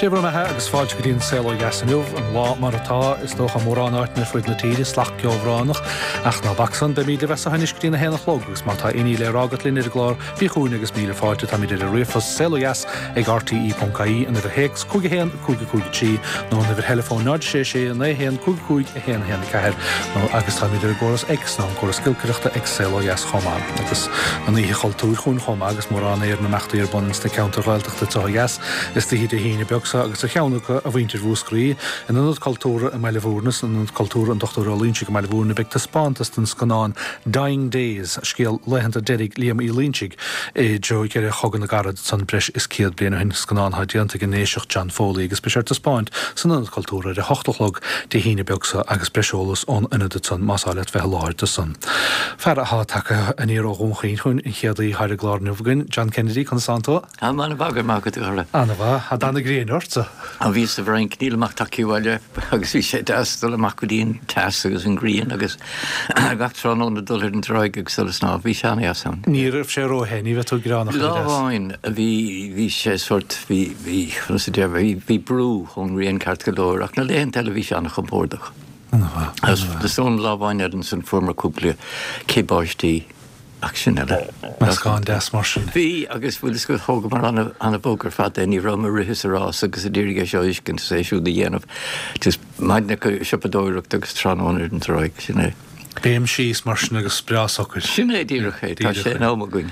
Dé bhur mbeatha agus fáilte go dtí an Saol Ó Dheas inniu, an lá mar atá, is dócha, i mórán áiteanna ar fud na tíre, salach ceobhránach. Ach ná bac san, beimid libh as seo anois go dtí an 1 a chlog agus má tá aon ní le rá agat linn ar an gclár, bí chugainn agus míle fáilte, táimid ar an ríomhphost saolodheas ag rte.ie, an uimhir théacs 5 1 5 5 3 nó an uimhir theileafóin 0 6 6 9 1 5 5 1 1 4 nó agus táimid ar an gcóras X nó an córas giolcaireachta ag Saol Ó Dheas chomh maith. Agus an Oíche Chultúir chugainn chomh maith agus mórán imeachtaí ar bun ins na ceantair Ghaeltachta anseo ó dheas istoíche Dé hAoine beag seo agus ar cheann acu, a mhuintir Mhúscraí, in Ionad Cultúrtha i mBaile Bhúirne, san Ionad Cultúrtha an Dr. Ó Loingsigh i mBaile Bhúirne, beidh taispeántas den scannán Dying Days, scéal laethanta deiridh Liam Uí Loingsigh i dtreo dheireadh Chogadh na gCarad ansan breis is 100 bliain ó shin, scannán atá déanta ag an nDéiseach John Foley agus beidh sé ar taispeáint san Ionad Cultúrtha ar a hocht a chlog Dé hAoine beag seo agus breis eolas ón Ionad ansan más áil leat bheith i láthair do san. Fear atá tagtha aniar ó Dhún Chaoin chugainn, an chéad aoi atá ar an gclár inniu againn, John Kennedy, conas tánn tú? Tá mé an-mhaith, go raibh maith agat, a chara. An-mhaith. Tá dath na gréine ortsa. Á, bhíos sa bhFrainc, nílim ach tagtha abhaile agus bhí sé deas dul amach go dtí an teas agus an ghrian agus gach tráthnóna dul ar an dtráigh agus dul ag snámh. Bhí sé an-dheas ann. Ní raibh sé róthe, ní bheidh tú ag gearán ach oiread as. Lá amháin bhí, bhí sé sórt, bhí, bhí, conas a déarfá, bhí, bhí brú ón ngrian ceart go leor ach na laethanta eile bhí sé an-chompordach. An-mhaith, an-mhaith. Agus an lá amháin eile ansan fuaireamar cúpla cith báistí. Ach sin eile. Meascán deas mar sin. Bhí, agus bhfuil fhios agat, thógamar an-bhog ar fad é, ní rabhamar ag rith is ag rás agus ag iarraidh é seo a fheiscint is é siúd a dhéanamh. Just maidin ag siopadóireacht agus tráthnóna ar an dtráigh, sin é. Béim síos mar sin agus breá socair. Sin é díreach é, tá sé in am againn.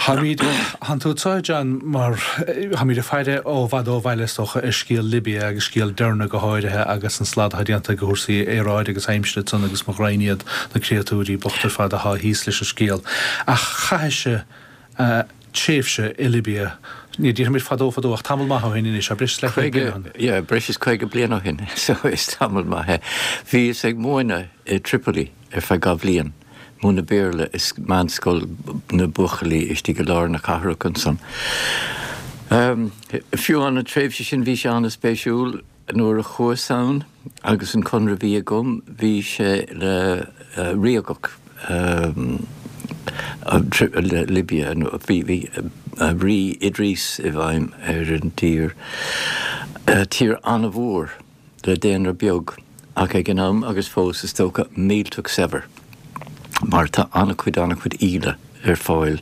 Táimid, thánn tú anseo, John, mar táimid ag faire ó bhfad ó bhaile, is dócha, ar scéal Libya agus scéal Derna go háirithe agus an slad atá déanta ag cúrsaí aeráide agus aimsire ansan agus mo ghraidhin iad, na créatúirí bochta ar fad atá thíos leis an scéal. Ach chaithis-se tréimhse i Libya, ní déarfaimid fadó fadó ach tamall maith ó shin anois, breis is leathchéad bliain ó shin. Yeah, breis is 50 bliain ó shin, so is tamall maith é. Bhíos ag múineadh i Tripoli ar feadh dhá bhliain, múineadh Béarla i meánscoil na buachaillí istigh i lár na cathrach ansan. Fiú an tréimhse sin bhí sé an-spéisiúil. Nuair a chuas ann agus an conradh a bhí agam, bhí sé le ríogacht Libia, bhí Rí Idris i bhfeidhm ar an dtír, tír an-mhór le daonra beag ach ag an am agus fós is dócha millteach saibhir mar tá an-chuid an-chuid íle. ar fáil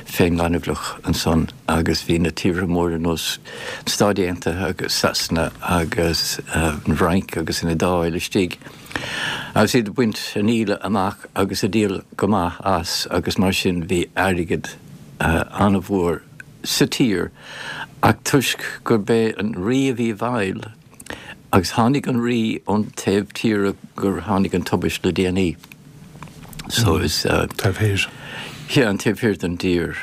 fén ngaineamhlach ansan agus bhí na tíortha móra ar nós na Stáit Aontaithe agus Sasana agus an Fhrainc agus an Iodáil istigh agus iad ag baint an íle amach agus ag díol go maith as agus mar sin bhí airgead an-mhór sa tír ach toisc gurb é an rí a bhí i bhfeighil Agus tháinig an rí ón taobh tíre gur tháinig an tubaist le déanaí. So is. Taobh thoir. Yeah, an taobh thiar den dtír.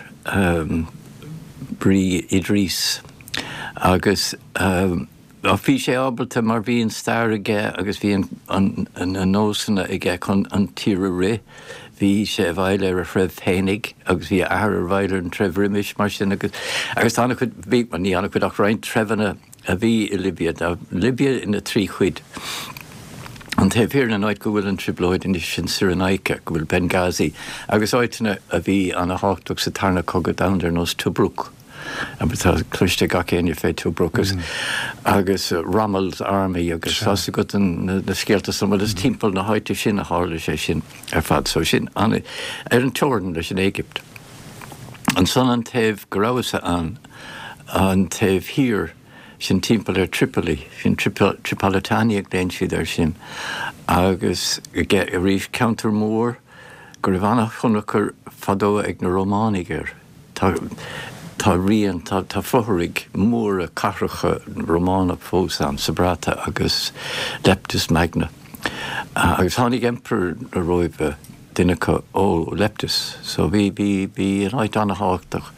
Rí Idris. Agus bhí sé ábalta mar bhí an stair aige agus bhí na nósanna aige chun an tír a rith. Bhí sé i bhfeighil ar a threibh féinig agus bhí a athair i bhfeighil ar an treibh roimis mar sin agus agus tá an-chuid, bhí, ní an-chuid ach roinnt treibheanna a bhí i Libia. Tá Libia ina thrí chuid. An taobh thiar, an áit go bhfuil an trioblóid anois, sin Cyrenaica, go bhfuil Benghazi, agus áiteanna a bhí ana-thábhachtach sa Tarna Cogadh Domhanda ar nós Tobruk. Tá cloiste ag gach éinne fé Tobruk agus Rommel's Army agus tá 's agat na scéalta san. Bhuel is timpeall na háite sin a tharla sé sin ar fad. So sin ar an teorainn leis an Éigipt. Ansan an taobh go rabhas-sa ann, an taobh thiar, sin timpeall ar Tripoli, sin Tripolitania a ghlaonn siad air sin, agus arís ceantar mór go raibh an-thionchar fadó ag na Rómánaigh air. Tá, tá rian, tá, tá fothraigh mhóra cathracha Rómánach fós ann, Sabratha agus Leptis Magna. Agus tháinig Emperor na Róimhe, duine acu ó Leptis. So bhí, bhí, bhí an áit an-thábhachtach.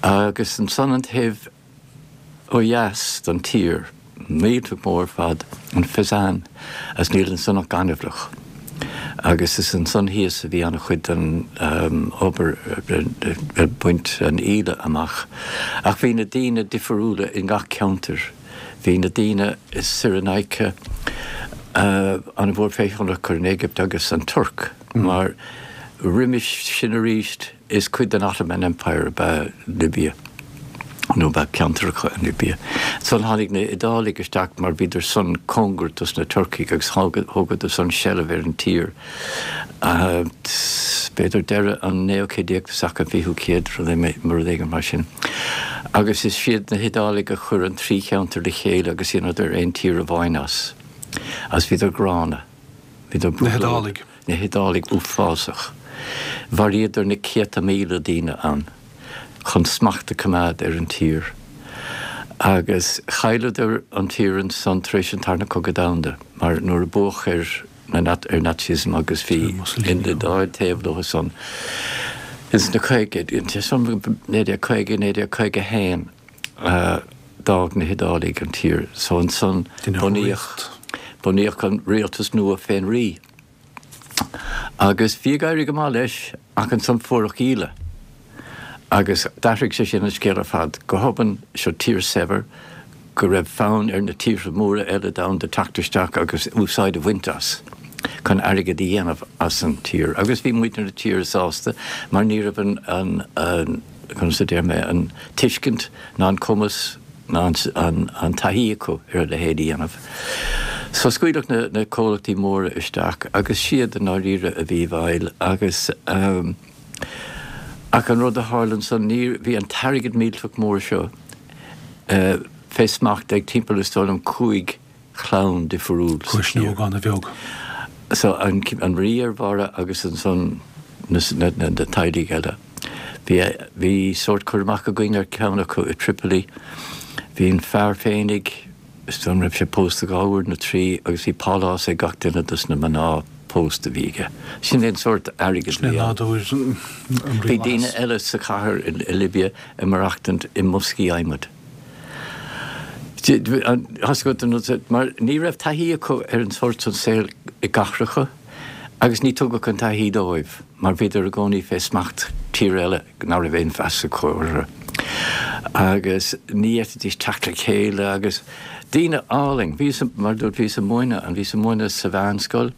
Agus ansan an taobh ó dheas den tír, millteach mór ar fad, an Fezzan, agus níl ansan ach gaineamhlach. Agus is ansan thíos a bhí an-chuid den obair ag baint an íle amach. Ach bhí na daoine difiriúla i ngach ceantar. Bhí na daoine i Cyrenaica an-mhór fé thionchar an Éigipt agus an Tuirc, mar roimis sin arís is cuid den Ottoman Empire ab ea Libia. Nó bheadh ceantracha in Libia. Ansan tháinig na hIodálaigh isteach mar bhíodar san cóngarach dos na Turcaigh agus thógadar san seilbh ar an tír. B'fhéidir deireadh an naoú céad déag tosach an fichiú céad, rud éigin mar sin. Agus is iad na hIodálaigh a chuir an trí cheantar le chéile agus dheineadar aon tír amháin as. Agus bhíodar gránna. Bhíodar Na hIodálaigh. Na hIodálaigh uafásach. Mharaíodar na céadta míle daoine ann chun smacht a coimeád ar an tír. Agus chailleadar an tír ansan tar éis an Tarna Cogadh Domhanda mar nuair a buadh ar ar Nazism agus bhí an Iodáil taobh leo san ins na caogaidí, 1950, 1951 d'fhág na hIodálaigh an tír. So ansan bunaíodh bunaíodh an rialtas nua fén rí. Agus bhí ag éirí go maith leis ach ansan fuaireadh íle. Agus d'athraigh sé sin an scéal ar fad. Go hobann, seo tír saibhir go raibh fonn ar na tíortha móra eile domhanda teacht isteach agus úsáid a bhaint as chun airgead a dhéanamh as an tír. Agus bhí muintir na tíre sásta mar ní raibh an, an, conas a deir mé, an tuiscint ná an cumas ná an taithí acu ar a leithéid a dhéanamh. So scaoileadh na, na comhlachtaí móra isteach agus siad i ndáiríre a bhí i bhfeighil agus ach an rud a tharla ansan, ní, bhí an t-airgead millteach mór seo fé smacht ag timpeall is dóigh liom 5 chlann difriúil sa tír. Cuisneogán a bheag. So an, an rí ar bharra agus ansan na, na, na teaghlaigh eile. Bhí, bhí sórt cur amach againn ar ceann acu i Tripoli. Bhí an fear féinig, is dóigh liom raibh sé pósta dhá uair nó trí agus bhí pálás ag gach duine dos na mná pósta a bhí aige. Sin é an sórt airgid a bhí ann. Sin é nádúr an rialachais. Bhí daoine eile sa chathair i Libia ag maireachtaint i mboscaí adhmaid. Mar ní raibh taithí acu ar an sórt san saol i gcathracha agus ní tugadh an taithí dóibh mar bhíodar i gcónaí fé smacht tír eile ná raibh aon mheas acu orthu agus ní fhéadfaidís teacht le chéile agus daoine álainn. Bhíos, mar a dúirt, bhíos ag múineadh ann, bhíos ag múineadh sa mheánscoil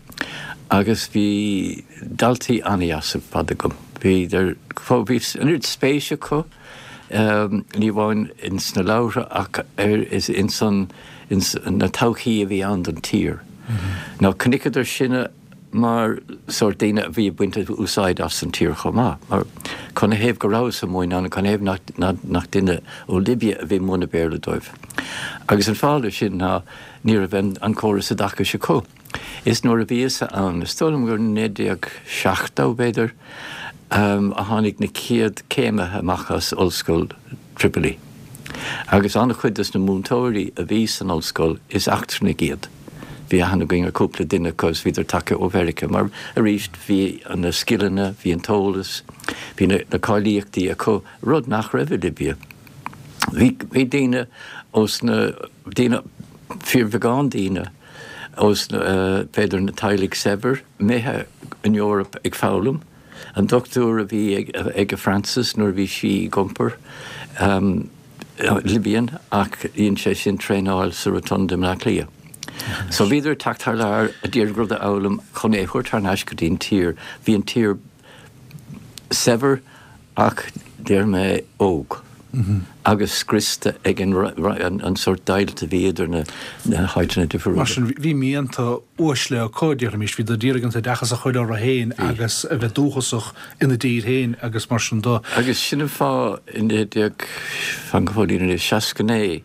agus bhí daltaí an-dheas ar fad agam. Bhíodar, bhí an oiread spéis acu ní amháin ins na leabhartha ach ar is ins an ins na todhchaí a bhí ann don tír. Nó chonaiceadar sinne mar sórt daoine a bhí ag baint úsáid as an tír chomh maith. Mar canathaobh go rabhas ag múineadh ann, canathaobh nach nach duine ó Libia a bhí ag múineadh Béarla dóibh. Agus an fáth leis sin ná ní raibh an an córas oideachais acu. Is nuair a bhíos-sa ann, is dóigh liom gur 1970, b'fhéidir, a tháinig na chéad céimithe amach as Ollscoil Tripoli. Agus an-chuid dos na múinteoirí a bhí san ollscoil, is eachtrannaigh iad. Bhí aithne againn ar cúpla duine acu agus bhíodar tagtha ó Mheiriceá mar, arís, bhí na scileanna, bhí an t-eolas, bhí na cáilíochtaí acu, rud nach raibh i Libia. Bhí, bhí daoine ós na, daoine, fíorbheagán daoine ós na, b'fhéidir na teaghlaigh saibhir, imithe an Eoraip ag foghlaim. An dochtúir a bhí ag Frances nuair a bhí sí ag iompar, Libyan, ach dhein sé sin traenáil sa Rotunda i mBleá Cliath. So bhíodar ag teacht thar lear a d'iarraidh rud a fhoghlaim chun é a thabhairt thar n-ais go dtí an tír. Bhí an tír saibhir ach deir mé óg agus scriosta ag an sórt deighilt a bhí idir na háiteanna difriúla. Mar sin, bhí mianta uaisle acu, déarfaimis, bhíodar ag iarraidh an t-oideachas a chur orthu féin agus a bheith dúchasach ina dtír féin agus mar sin de. Agus sin an fáth i 19, fan go fóillín anois, 69,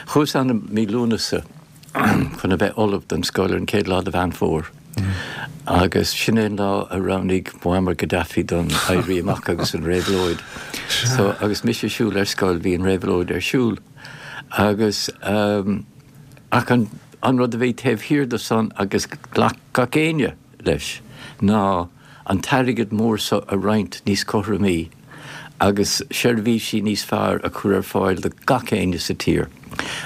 chuas ann i mí Lúnasa, chun a bheith ullamh don scoil ar an chéad lá de Mheán Fómhair. Agus sin é an lá a roghnaigh Muammar Gaddafi don Éirí Amach agus an réabhlóid. So, agus mise ag siúl ar scoil, bhí an réabhlóid ar siúl. Agus, ach an, an rud a bhí taobh thiar de san agus ghlac gach éinne leis ná an t-airgead mór so a roinnt níos cothromaí. agus seirbhísí níos fearr a chur ar fáil do gach éinne sa tír.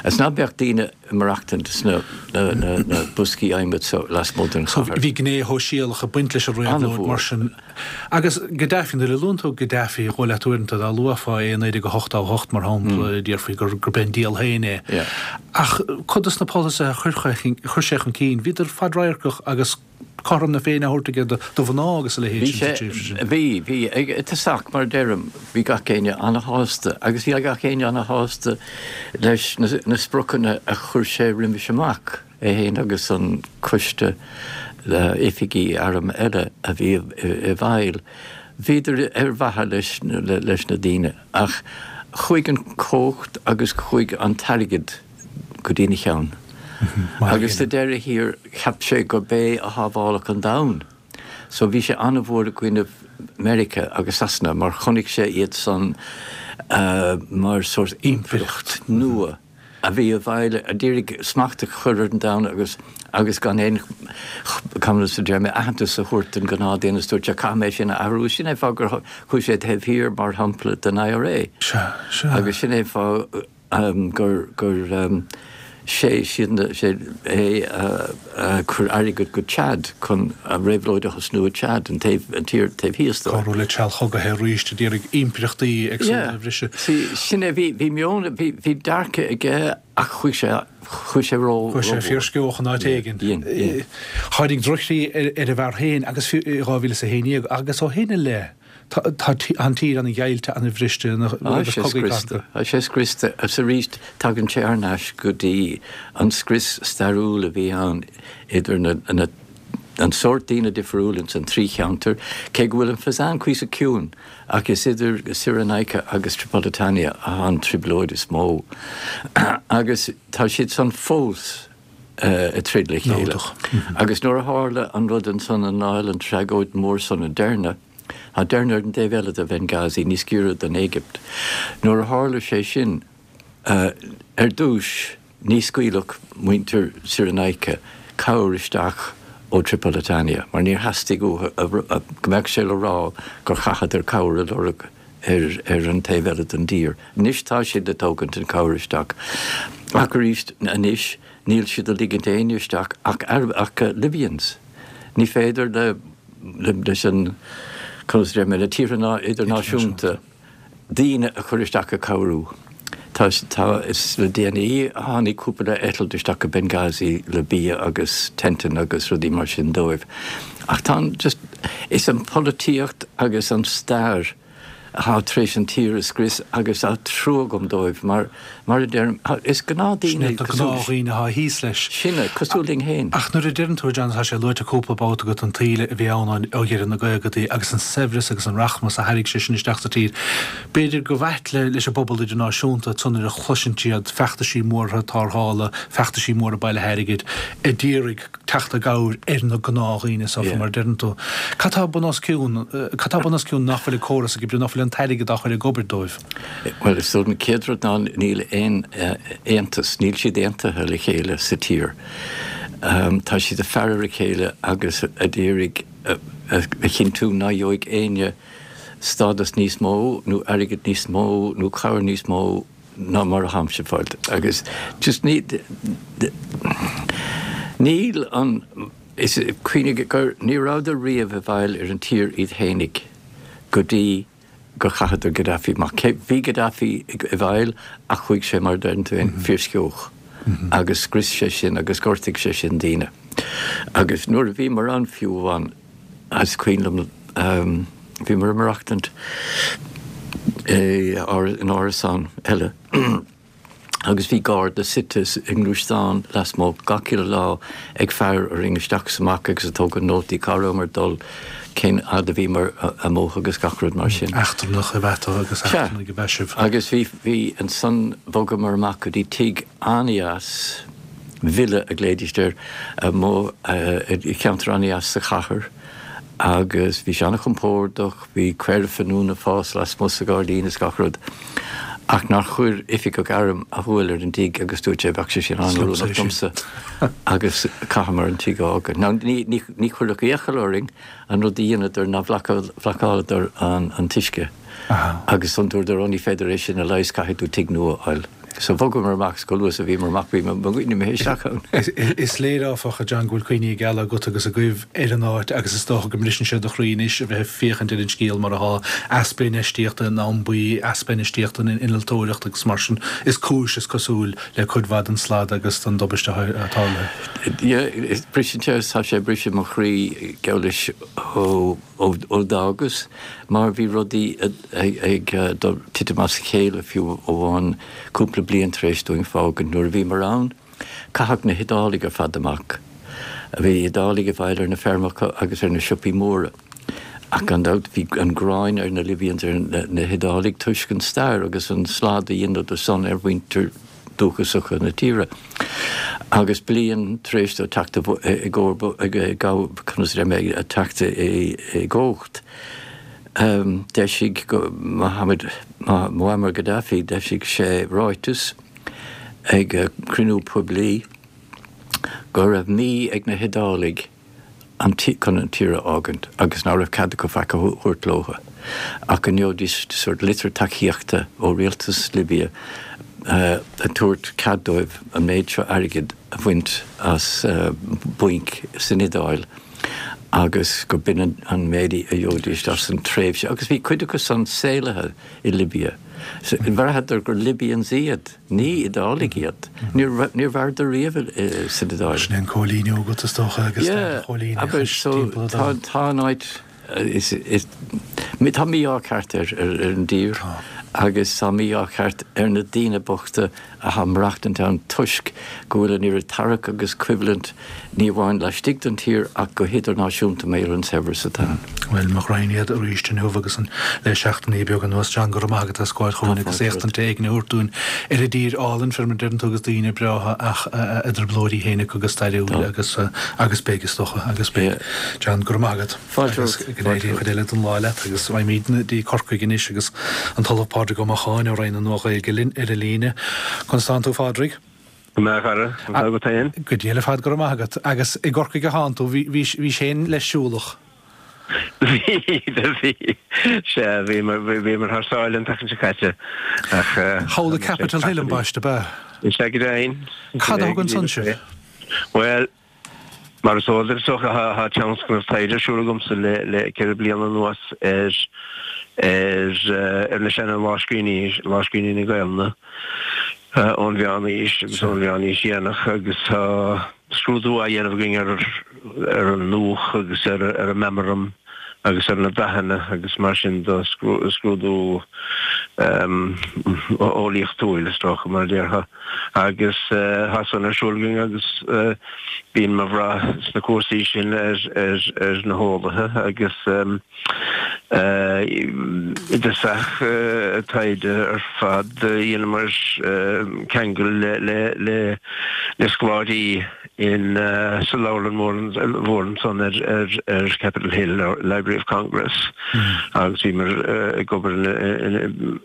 Is ná beadh daoine ag maireachtaint sna na boscaí adhmaid so lasmuigh den chathair. Bhí gné shóisialach ag baint leis an réabhlóid mar sin. Agus Gaddafi, nuair a luann tú Gaddafi, dhóigh leat uaireanta dá luafá é i 1988 mar shampla, déarfaí gurb é an diabhal féin é. Ach cuid de na polasaithe a chuir sé chun cinn, bhíodar fadradharcach agus. cothrom na Féinne á thabhairt aige do mhná agus a leithéid sin sa tréimhse sin. Bhí, bhí. I dtosach, mar a deirim, bhí gach éinne ana-shásta agus bhí gach éinne ana-shásta leis na spriocanna a chuir sé roimis amach, é féin agus an coiste oifigí airm eile a bhí i bhfeighil. Bhíodar ar mhaithe leis na daoine ach chuaigh an chumhacht agus chuaigh an t-airgead go dtína cheann. Agus sa deireadh thiar cheap sé gurb é a shábhálfadh an domhan. So bhí sé an-mhór i gcoinnibh Meiriceá agus Sasana mar chonaic sé iad san mar sórt impireacht nua a bhí i bhfeighil, a d'iarraidh smacht a chur ar an domhan agus agus gan aon, conas a deir mé, aitheantas a thabhairt don ghnáthduine is dúirt sé caithfidh mé sin a athrú. Sin é fáth gur chuaigh sé taobh thiar mar shampla den IRA. Sea, sea. Agus sin é fáth gur gur sé siad sé é a chuir airgead go Chad chun an réabhlóid a thosnú i Chad, an taobh an tír taobh thíos dóibh. Cabhrú le treallchogaithe arís a d'iarraidh impireachtaí éagsúla a bhriseadh. See, sin é, bhí bhí meon, bhí bhí dearcadh aige ach chuaigh sé chuaigh sé ró Chuaigh sé fíorsceoch in áit éigin. Dhein, dhein. Tháinig drochshlí ar ar an bhfear féin agus fiú i 2011 agus ó shin i leith Tá an tír ana-dheighilte, ana-bhriste, agus cogaí cathartha. Tá sé scriosta agus arís tagann sé thar n-ais go dtí an scrios stairiúil a bhí ann idir na an sórt daoine difriúil ins an trí cheantar, cé go bhfuil an Fezzan cuíosach ciúin ach is idir Cyrenaica agus Tripolitania atá an trioblóid is mó agus tá siad san fós ag troid le chéile. Agus nuair a tharla an rud ansan i ndáil an tragóid mhór san i Derna, Tá Derna ar an dtaobh eile de Bhenghazi, níos giorra don Éigipt. Nuair a tharla sé sin, ar dtúis ní scaoilfeadh muintir Cyrenaica cabhair isteach ó Tripolitania mar níor theastaigh uathu go mbeadh sé le rá gur chaitheadar cabhair a lorg ar an taobh eile den dtír. Anois tá siad ag tógaint an cabhair isteach ach arís anois níl siad ag ligint éinne isteach ach Libyans. Ní féidir le leis an, conas a deir mé, le tíortha idirnáisiúnta daoine a chur isteach ag cabhrú. Tá, tá, is le déanaí a tháinig cúpla eitilt isteach go Benghazi le bia agus tenteanna agus rudaí mar sin dóibh. Ach tá an, just, is an pholaitíocht agus an stair atá tar éis an tír a scrios agus tá trua agam dóibh mar, mar a deirim, is gnáthdhaoine Sin iad na gnáthdhaoine atá thíos leis. Sin é, cosúil linn féin. Ach nuair a deireann tú, a John, tá sé luaite cúpla babhta agat an tsaol a bhí ann ó dheireadh na gcaogadaí agus an saibhreas agus an rachmas a thairg sé sin isteach sa tír, b'fhéidir go b'ait leis an bpobal idirnáisiúnta ansan nuair a chloiseann siad feachtaisí móra tarrthála, feachtaisí móra bailithe airgid a d'iarraidh teacht i gcabhair ar na gnáthdhaoine so mar a deireann tú. Cad tá bun os cionn, cad tá bun os cionn nach bhfuil an córas ag oibriú, nach bhfuil an t-airgead á chur ag obair dóibh? Bhuel, is dóigh an chéad rud ná níl aon aontas, níl siad aontaithe le chéile sa tír. Tá siad ag faire ar a chéile agus ag iarraidh a chinntiú ná gheobhaidh éinne stádas níos mó nó airgead níos mó nó cabhair níos mó ná mar a tháimse ag fáil agus just ní níl an is cuimhnigh gur ní rabhadar riamh i bhfeighil ar an tír iad fhéinig go dtí gur chaitheadar Gaddafi amach. Cé bhí Gaddafi i bhfeighil ach chuaigh sé mar a deireann tú féin fíorsceoch agus scrios sé sin agus ghortaigh sé sin daoine. Agus nuair a bhíomar ann fiú amháin Is cuimhin liom, bhíomar ag maireachtaint in árasán eile agus bhí garda suite i ngluaisteán lasmuigh gach uile lá ag faire orainn isteach is amach agus ag tógaint nótaí cá rabhamar ag dul, cén fhad a bhíomar amuigh agus gach rud mar sin. Eachtrannach ab ea tú agus eachtrannaigh ab ea sibh. Agus bhí, bhí, ansan bhogamar amach go dtí tigh an-dheas, villa a ghlaoidís air, amuigh i cheantar an-dheas sa chathair agus bhí sé an-chompordach, bhí caora finiúna ag fás lasmuigh sa ghairdín is gach rud. Ach nár chuir oifigeach airm a shúil ar an dtigh agus dúirt sé bheadh sé sin an-oiriúnach domsa agus chaitheamar an tigh a fhágáil. Now ní, ní, ní chuireadh iachall orainn an rud a dheineadar ná bhlocáladar an, an t-uisce agus dúradar ó ní féidir é sin a leigheas caithfidh tú tigh nua a fháil. So bhogamar amach agus chomh luath is a bhíomar amach bhí muidne imithe isteach ann. Is léir áfach, a John, go bhfuil cuimhní geala agat agus agaibh ar an áit agus is dócha go mbriseann sé do chroí anois a bheith ag féachaint ar an scéal mar atá, easpa infheistíochta in abhantraí, easpa infheistíochta in innealtóireacht agus mar sin is cúis, is cosúil, le cuid mhaith den slad agus den dtubaiste atá tarlaithe. Yeah, briseann sé, tá sé ag briseadh mo chroí, geall leis, ó. ó d'fhágas mar bhí rudaí ag titim as a chéile fiú amháin cúpla bliain tar éis dúinn fágaint. Nuair a bhíomar ann, caitheadh na hIodálaigh ar fad amach. Bhí Iodálaigh i bhfeighil ar na feirmeacha agus ar na siopaí móra. Ach gan dabht bhí an ghráin ar na Libyans ar na hIodálaigh toisc an stair agus an slad a dheineadar san ar mhuintir dúchasacha na tíre. Agus bliain tar éis dó teacht i conas a deir mé, teacht i gcumhacht, d'eisigh Mohammed, Muammar Gaddafi, d'eisigh sé ráiteas ag cruinniú poiblí go raibh mí ag na hIodálaigh an chun an tír a fhágaint agus ná raibh cead acu faic a thabhairt leotha ach go ngeobhaidís sórt litir tacaíochta ó rialtas Libia ag tabhairt cead dóibh an méid seo airgid a bhaint as bainc san Iodáil agus go b'in an méid a gheobhaidís as an tréimhse agus bhí cuid acu san saolaithe i Libia. Bhraitheadar gur Libyans iad. Ní Iodálaigh iad. Níor mhaireadar riamh san Iodáil. Sin é an cóilíniú agat is dócha agus stair an choilíneachais timpeall an domhain. Tá an áit, tá mí-ádh ceart ar an dtír agus tá mí-ádh ceart ar na daoine bochta atá ag maireachtaint ann toisc go bhfuil an oiread tarrac agus coimhlint ní amháin laistigh den tír ach go hidirnáisiúnta mar gheall ar an saibhreas atá ann. Bhuel, mo ghraidhin iad arís inniu agus an le seachtainí beaga anuas. John, go raibh maith agat as gabháil chugainn agus éachtaint éigin a thabhairt dúinn ar an dtír álainn, fé mar a deireann tú, agus daoine breátha ach a dtrioblóidí féin acu go stairiúil agus agus beidh, is dócha, agus beidh. John, go raibh maith agat. Fáilte romhat. Agus go n-éirí an chuid eile den lá leat agus raghaimidne dtí Corcaigh anois agus an tOllamh Pádraig Ó Macháin ó Roinn na Nua-Ghaeilge linn ar an líne. Conas tánn tú, a Phádraig? Go maith, a chara. Conas tá agat féin? Go diail ar fad, go raibh maith agat. Agus i gCorcaigh atánn tú, bhís féin leis siúlach? Bhí, do bhí. Sea, bhíomar thar sáile an tseachtain seo caite ach. Thall i Capitol Hill ambaiste, ab ea? Is ea go deimhin. Cad a thug ansan sibh? Bhuel, Mar is eol duit, is dócha, tá tionscnamh taighde ar siúl agamsa le 4 bliana anuas ar ar na seana-lámhscríbhinní, lámhscríbhinní na Gaelainne ón Mheánaois agus ón Mheánaois Dhéanach agus tá scrúdú á dhéanamh againn ar ar an ndúch agus ar ar an meamram agus ar na dathanna agus mar sin de, scrúdú eolaíochtúil is dócha mar a déarfá. Agus tá san ar siúl againn agus bíonn ag brath sna cúrsaí sin ar na heolaithe agus i dtosach taighde ar fad dheineamar ceangal le scoláirí in sa leabharlann mhór ansan ar Capitol Hill, Library of Congress, agus bhíomar ag obair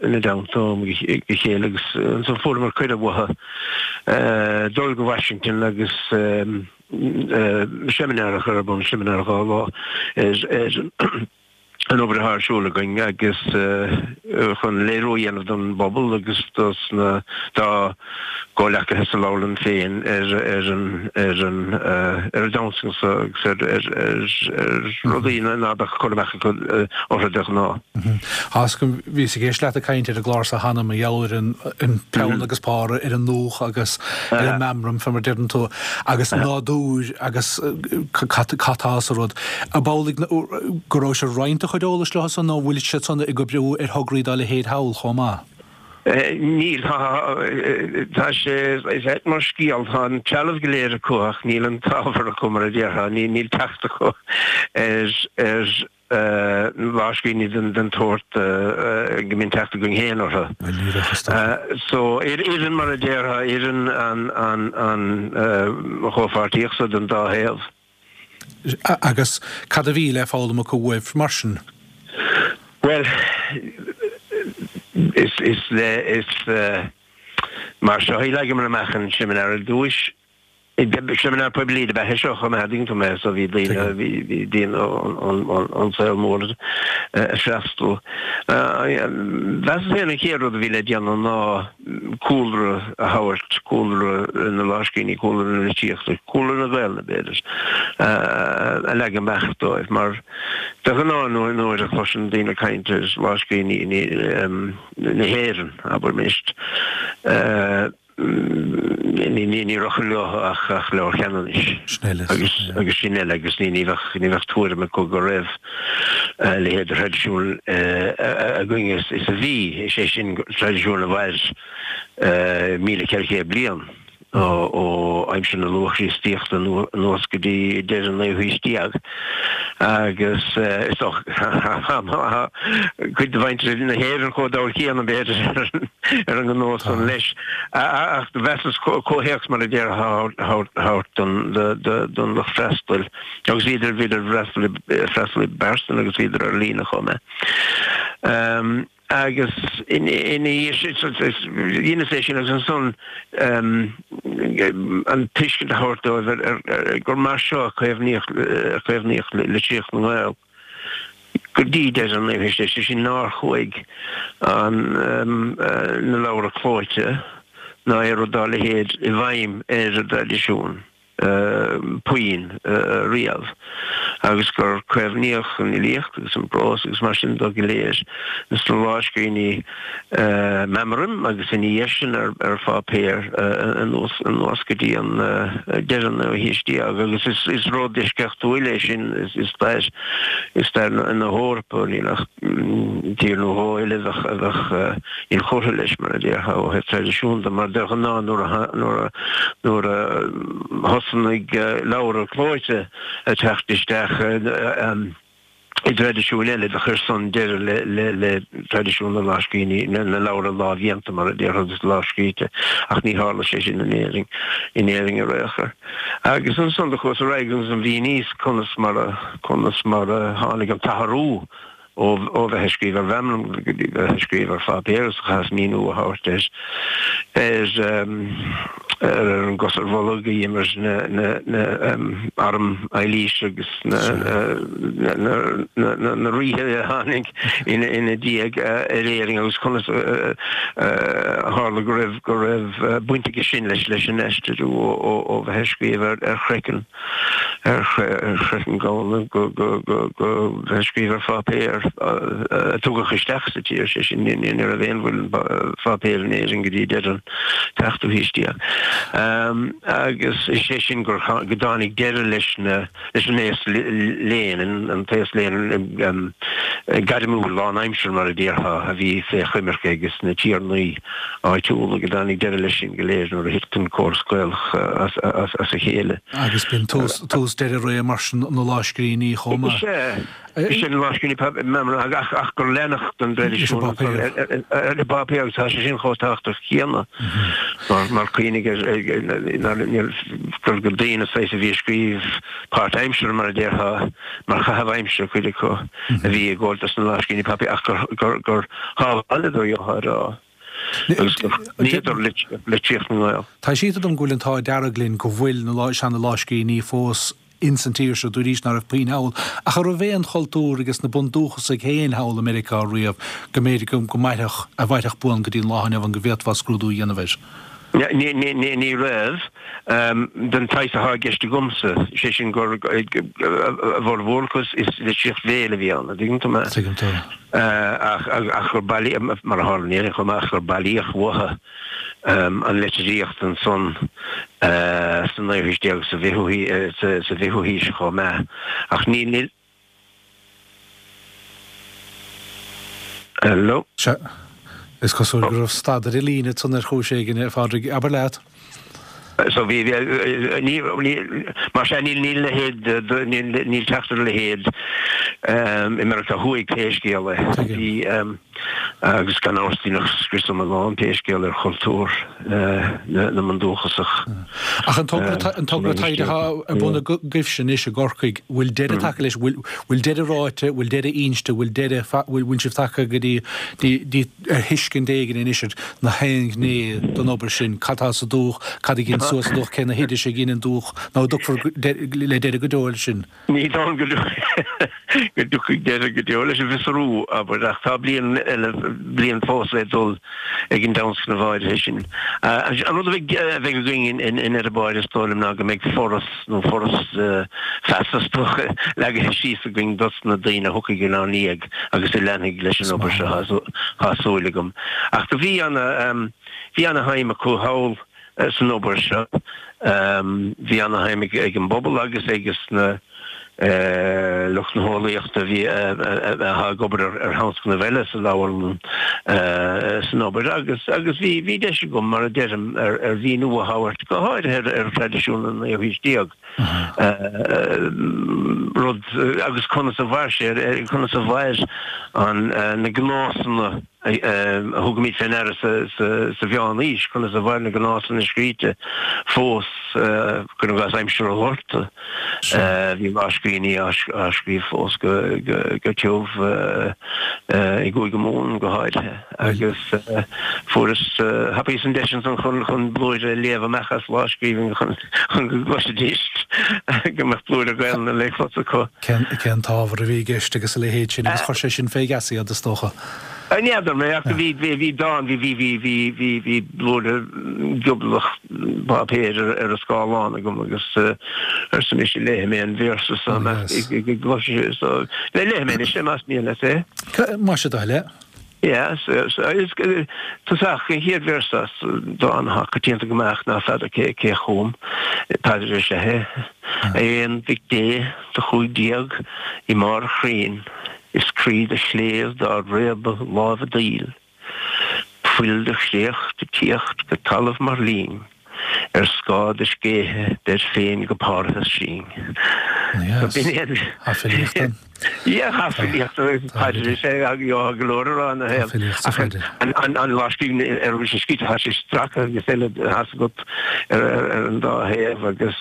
ina dteannta ó am go chéile agus ansan fuaireamar cuireadh uathu dul go Washington agus seimineár a chur ar bun, seimineár 2 lá ar an obair atá ar siúl againn agus chun léiriú a dhéanamh don bpobal agus dos na dá gcomhleacaithe sa leabharlann féin ar ar an ar an ar an dtionscnamh seo agus ar ar ar ar rudaí ná beadh cur amach acu orthu de ghnáth. Tá 'fhios agam, bhíos ag éisteacht leat ag caint ar an gclár seo cheana mar gheall ar an an peann agus pár ar an ndúch agus ar an meamram fé mar deireann tú agus nádúr agus cad tá sa rud. Ab amhlaidh go raibh sibh ag roinnt do chuid eolais leo san nó an bhfuil siad san ag oibriú ar thograí dá leithéid thall chomh maith? Níl. Tá sé is ait mar scéal. Tá an trealamh go léir acu ach níl an t-ábhar acu mar a déarfá. Níl teacht acu ar ar lámhscríbhinní den tsórt go mbíonn teacht againn féin orthu. Bhuel ní bheadh is dócha. So oireann mar a déarfá, oireann an an chomhpháirtíocht so don dá thaobh. Agus cad a bhí le foghlaim acu uaibh mar sin? Bhuel, is, is le, is mar seo a leagamar amach an seimineár ar dtúis. Seimineár poiblí dob ea é seo chomh maith, an dtuigeann tú mé, so bhí daoine, bhí daoine ón saol mór ag freastal. Mheasas féin an chéad rud a bhí le déanamh ná cúlra a thabhairt, cúlra na lámhscríbhinní, cúlra na litríochta, cúlra na Gaelainne b'fhéidir, a leagan amach dóibh mar de ghnáth nuair a chloiseann daoine caint ar lámhscríbhinní na hÉireann, abraimis, Ní rachadh leo ach Leabhar Cheanannais agus sin uile agus ní bheadh tuairim acu go raibh a leithéid de thraidisiún againn is a bhí, is é sin traidisiún a mhair 1,400 bliain ó aimsir na luath-Chríostaíochta anuas go dtí deireadh an naoú haois déag. Agus is dócha cuid de mhuintir na hÉireann chomh dall céanna, b'fhéidir, ar an ngnó san leis. Ach mheasas comhthéacs, mar a déarfá, a thabhairt don lucht freastail. Agus bhíodar, bhíodar ag freastal i bpearsan agus bhíodar ar líne chomh maith. Agus ina dhiaidh sin, dheineas é sin agus ansan an tuiscint a thabhairt dóibh ar gur mar seo a caomhnaíodh litríocht na nGael go dtí deireadh an naoú haois déag, sé sin nár chuaigh na leabhra clóite ná aon rud dá leithéid i bhfeidhm ar an dtraidisiún. puinn riamh agus gur caomhnaíodh an fhilíocht agus an prós agus mar sin de go léir sna lámhscríbhinní meamraim agus ina dhiaidh sin ar pháipéar anuas anuas go dtí an deireadh an naoú haois déag agus is rud eisceachtúil é sin i stair i stair na hEorpa níl ach tír nó dhó eile a bheadh inchurtha leis, mar a déarfá, ó thaobh traidisiún de, mar de ghnáth nuair a nuair a nuair a thosnaigh leabhra clóite ag teacht isteach i dtraidisiúin eile, do chuir san deireadh le le le traidisiún na lámhscríbhinní, na leabhra lámhdhéanta, mar a déarfá, agus lámhscríte, ach ní tharla sé sin in Éirinn, in Éirinn ar aon chor. Agus ansan do chuas ar aghaidh agus mhíníos conas mar a conas mar a tháinig an t-athrú ó bheith ag scríobh ar mheamram go dtí bheith ag scríobh ar pháipéar agus chaitheas míniú a thabhairt ar ar an gcos ar bholg a d'imir na arm Eilís agus na ríthe a tháinig ina diaidh ar Éirinn agus conas a tharla go raibh go raibh baint aige sin leis leis an aistriú ó bheith ag scríobh ar chraiceann. ar chraiceann gamhna go bheith ag scríobh ar pháipéar a tugadh isteach sa tír, sé sin, ní raibh aon mhuileann pháipéir in Éirinn go dtí deireadh an tseachtú haois déag. Agus is é sin gur go dtáinig deireadh leis na leis an aos léinn, an t-aos léinn gairmiúil lánaimseartha mar a déarfá, a bhí fé choimirce ages na tiarnaí áitiúla, go dtáinig deireadh leis sin go léir nuair a thit an córas Gaelach as a chéile. Agus b'in tús deireadh ré mar sin na lámhscríbhinní chomh maith. Is ea, is ea, na lámhscríbhinní meamraim ach gur leanadh den dtraidisiún ar an bpáipéar agus tá sé sin chomh tábhachtach céanna mar cuimhnigh ar gur daoine saghas a bhí ag scríobh páirtaimseartha mar a déarfá, mar chaitheamh aimsire cuid acu a bhí ag gabháil dos na lámhscríbhinní páipéir ach gur shábháileadar gheofá a rá agus gur choinníodar litríocht na nGael. Tá sé inste dom go bhfuil an t-ádh dearg linn go bhfuil na seana-lámhscríbhinní fós ins an tír seo, dúraís ná raibh puinn thall, ach an raibh aon chultúr ages na bundúchasaigh féin thall i Meiriceá riamh go mb'fhéidir go mairfeadh, a mhairfeadh buan go dtí an lá inniu ann go bhféadfá scrúdú a dhéanamh air? Ní raibh, den tsaghas atá i gceist agamsa, sé sin gur a bhformhór acu is litríocht bhéil a bhí ann, an dtuigeann tú mé? Tuigim tú. Ach gur bailíodh, mar a tharla in Éirinn chomh maith, ach gur bailíodh uathu an litríocht ansan sa naoú haois déag sa bhfichiú haois chomh maith. Ach ní. Hello. Sea. Is cosúil go raibh stad ar an líne ansan ar chúis éigin, a Phádraig. Abair leat. So bhí, ní, ní, mar sea, níl, níl leithéid, níl, níl teacht ar a leithéid i Meiriceá Thuaidh pé scéal é. Bhí, Agus gan amhras deineadh scrios iomlán pé scéal ar chultúr na mbundúchasach. Ach an togra an togra taighde atá ar bun agaibhse anois i gCorcaigh, bhfuil deireadh tagtha leis, bhfuil deireadh ráite, bhfuil deireadh inste, bhfuil deireadh, bhfuil sibh tagtha go dtí dtí ar thuiscint éigin anois ar na haon ghné den obair sin, cad tá sa dúch, cad a ghin. suas is dócha cé na hoidis a dheineann dúch nó an dtiocfar le deireadh go deo leis sin. Ní dóigh liom go dtiocfaidh deireadh go deo leis an bhfiosrú, abair, ach tá bliain eile, bliain fós le dul ag an dtionscnamh áirithe sin. An rud a bheidh againn i ndeireadh báire, is dóigh liom, ná go mbeidh foras nó foras feasa, is dócha, leagaithe síos againn dos na daoine a thiocfaidh inár ndiaidh agus a leanfaidh leis an obair seo, tá súil agam. Ach do bhí ana. Bhí ana-shuim acu thall san obair seo. Bhí ana-shuim ag an bpobal agus ag na lucht na heolaíochta a bhí atá ag obair ar thionscnaimh eile sa leabharlann san obair agus agus bhí bhí deis agam, mar a deirim, ar ar mhíniú a thabhairt, go háirithe ar ar thraidisiún an naoú haois déag. Rud agus conas a mhair sé, conas a mhair an na gnásanna a thugaimid fé ndeara sa Mheán-Aois, conas a mhair na gnásanna scríte fós, cuir i gcás aimsir an Ghorta. Bhí lámhscríbhinní á scríobh fós go tiubh i gCúige Mumhan go háirithe agus fuaireas, thapaíos an deis ansan chun blúire a léamh amach as lámhscríbhinn chun go gcloisfidís go mbeadh blúire Gaelainne le clos acu. Cén t-ábhar a bhí i gceist agus a leithéid sin agus chuir sé sin fé gheasa iad is dócha. N'fheadar mé ach bhí bhí dán, bhí bhí bhí bhí bhí bhí blúire gioblach páipéir ar ar an scáileán agam agus arsa mise léifidh mé an véarsa seo amach go gcloisfidh so léifidh mé anois é más mian leat é. Más é do thoil é. Yeah, so so is tosach an chéad véarsa as dán atá coitianta go maith ach ná feadar cé cé chum, paidir is ea é. A Aon Mhic Dé do chuaigh d'éag i mbarr a chrainn. Is croí do chléibh dá réabadh láimhe daoil, Fuil do chréacht ag tíocht go talamh mar linn, Ar scáth do scéithe beir féin go Parthas sinn. Yes. B'in é an. Tá filíocht ann. Yeah, tá filíocht ann. Paidir is ea é, go leor a rá ina thaobh. Tá filíocht sa phaidir. An lámhscríbhinn ar a bhfuil sé scríte, tá sé stractha agus eile, tá 's agat, ar an dá thaobh agus.